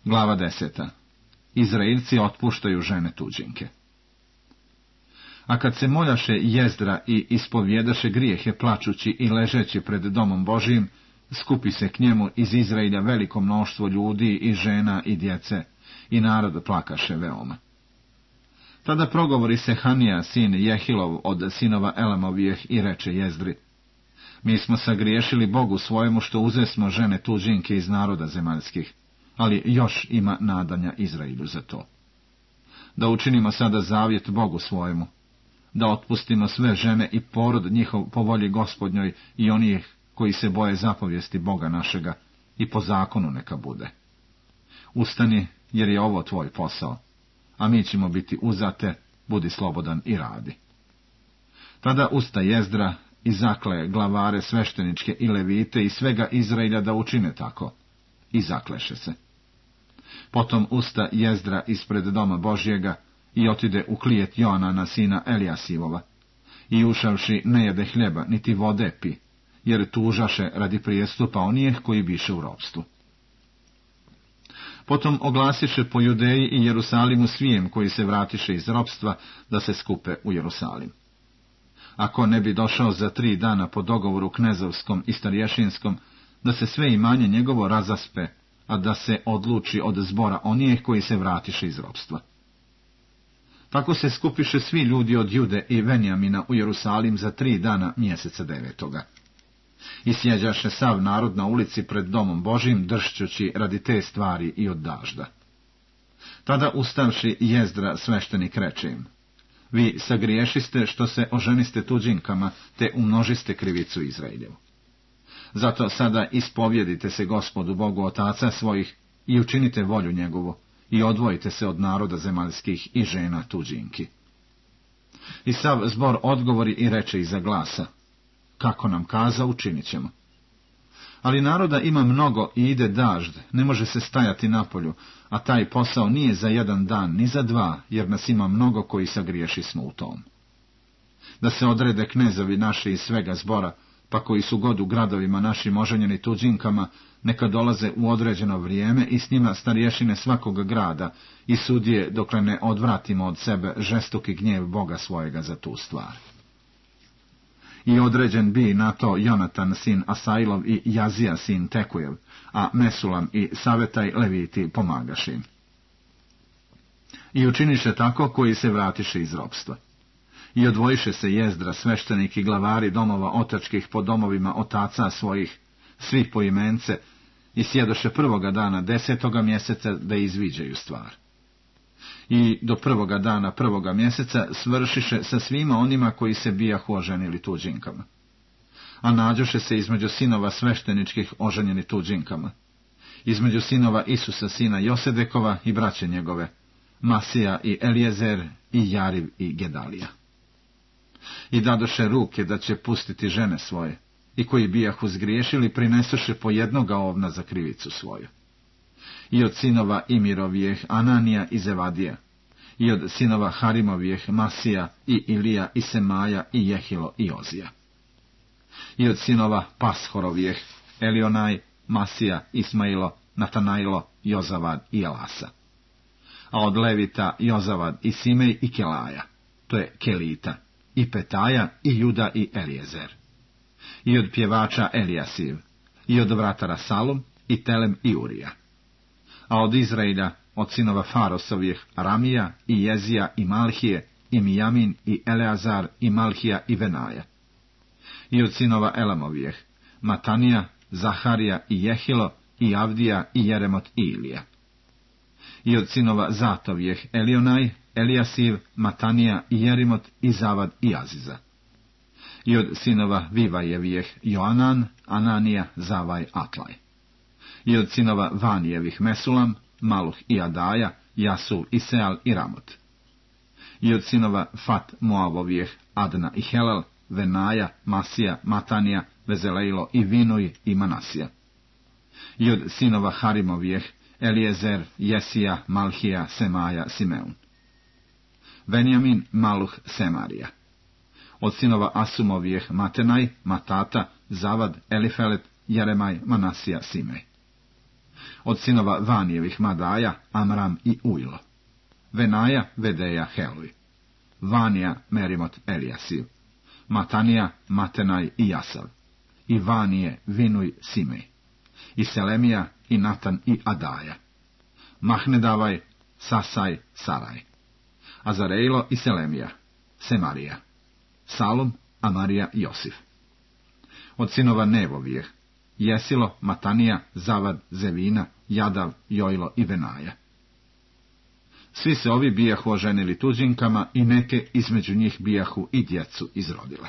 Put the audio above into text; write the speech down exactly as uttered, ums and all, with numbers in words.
Glava deseta. Izraelci otpuštaju žene tuđinke. A kad se moljaše Jezdra i ispovjedaše grijehe plačući i ležeći pred domom Božijim, skupi se k njemu iz Izraelja veliko mnoštvo ljudi i žena i djece, i narod plakaše veoma. Tada progovori se Hanija, sin Jehilov, od sinova Elamovijeh, i reče Jezdri: Mi smo sagriješili Bogu svojemu što uzesmo žene tuđinke iz naroda zemaljskih, ali još ima nadanja Izraelju za to. Da učinimo sada zavjet Bogu svojemu, da otpustimo sve žene i porod njihov po volji Gospodnjoj i onih koji se boje zapovijesti Boga našega, i po zakonu neka bude. Ustani, jer je ovo tvoj posao, a mi ćemo biti uzate, budi slobodan i radi. Tada usta Jezdra i zakle glavare svešteničke i levite i svega Izraelja da učine tako, i zakleše se. Potom usta Jezdra ispred doma Božjega i otide u klijet Joanana, sina Elijasivova, i ušavši ne jede hljeba niti vode pi, jer tužaše radi prijestupa onijeh koji biše u ropstvu. Potom oglasiše po Judeji i Jerusalimu svijem koji se vratiše iz ropstva da se skupe u Jerusalim. Ako ne bi došao za tri dana po dogovoru knezovskom i starješinskom, da se sve imanje njegovo razaspe, a da se odluči od zbora onijeh koji se vratiše iz ropstva. Tako se skupiše svi ljudi od Jude i Venjamina u Jerusalim za tri dana mjeseca devetoga. I sjeđaše sav narod na ulici pred domom Božim, dršćući radi te stvari i od dažda. Tada ustavši Jezdra sveštenik reče im: Vi sagriješiste što se oženiste tuđinkama, te umnožiste krivicu Izraeljevu. Zato sada ispovjedite se Gospodu Bogu otaca svojih i učinite volju njegovu, i odvojite se od naroda zemaljskih i žena tuđinki. I sav zbor odgovori i reče iza glasa: Kako nam kaza, učinit ćemo. Ali naroda ima mnogo i ide dažd, ne može se stajati napolju, a taj posao nije za jedan dan, ni za dva, jer nas ima mnogo koji sagriješi smo u tom. Da se odrede knezovi naši iz svega zbora, pa koji su god u gradovima našim oženjeni tuđinkama, neka dolaze u određeno vrijeme i s njima starješine svakog grada i sudije, dokle ne odvratimo od sebe žestoki gnjev Boga svojega za tu stvar. I određen bi na to Jonatan sin Asailov i Jazija sin Tekujev, a Mesulam i Savetaj leviti pomagaše im. I učiniše tako koji se vratiše iz ropstva. I odvojiše se Jezdra sveštenik i glavari domova otačkih po domovima otaca svojih, svi po imence, i sjedoše prvoga dana desetoga mjeseca da izviđaju stvar. I do prvoga dana prvoga mjeseca svršiše sa svima onima koji se bijahu oženili tuđinkama. A nađoše se između sinova svešteničkih oženjeni tuđinkama, između sinova Isusa sina Josedekova i braće njegove, Masija i Elijezer i Jariv i Gedalija. I dadoše ruke da će pustiti žene svoje, i koji bijahu zgriješili prinesoše po jednoga ovna za krivicu svoju. I od sinova Imirovijeh Ananija i Zevadija, i od sinova Harimovijeh Masija i Ilija i Semaja i Jehilo i Ozija. I od sinova Pashorovijeh Elionaj, Masija, Ismailo, Natanailo, Jozavad i Elasa. A od Levita Jozavad i Simej i Kelaja, to je Kelita, i Petaja i Juda i Elijezer. I od pjevača Elijasiv, i od vratara Salum i Telem i Urija. A od Izraelja, od sinova Farosovih Ramija i Jezija i Malhije i Mijamin i Eleazar i Malhija i Venaja. I od sinova Elamovijeh Matanija, Zaharija i Jehilo i Avdija i Jeremot i Ilija. I od sinova Zatovijeh Elionaj, Elijasiv, Matanija i Jerimot i Zavad i Aziza. I od sinova Vivajevijeh Joanan, Ananija, Zavaj, Atlaj. I od sinova Vanijevih Mesulam, Maluh i Adaja, Jasul i Seal i Ramot. I od sinova Fat Moavovijeh Adna i Helel, Venaja, Masija, Matanija, Vezelejlo i Vinuj i Manasija. I od sinova Harimovijeh Elijezer, Jesija, Malhija, Semaja, Simeun. Venjamin, Maluh, Semarija. Od sinova Asumovijeh Matenaj, Matata, Zavad, Elifelet, Jeremaj, Manasija, Simej. Od sinova Vanijevih Madaja, Amram i Ujlo. Venaja, Vedeja, Heluj. Vanija, Merimot, Elijasiv. Matanija, Matenaj i Jasav. I Vanije, Vinuj, Simej. I Selemija, i Natan i Adaja. Mahnedavaj, Sasaj, Saraj. Azarejlo i Selemija, Semarija. Salum, Amarija, Josif. Od sinova Nevovijeh, Jesilo, Matanija, Zavad, Zevina, Jadav, Jojlo i Venaja. Svi se ovi bijahu oženili tuđinkama i neke između njih bijahu i djecu izrodile.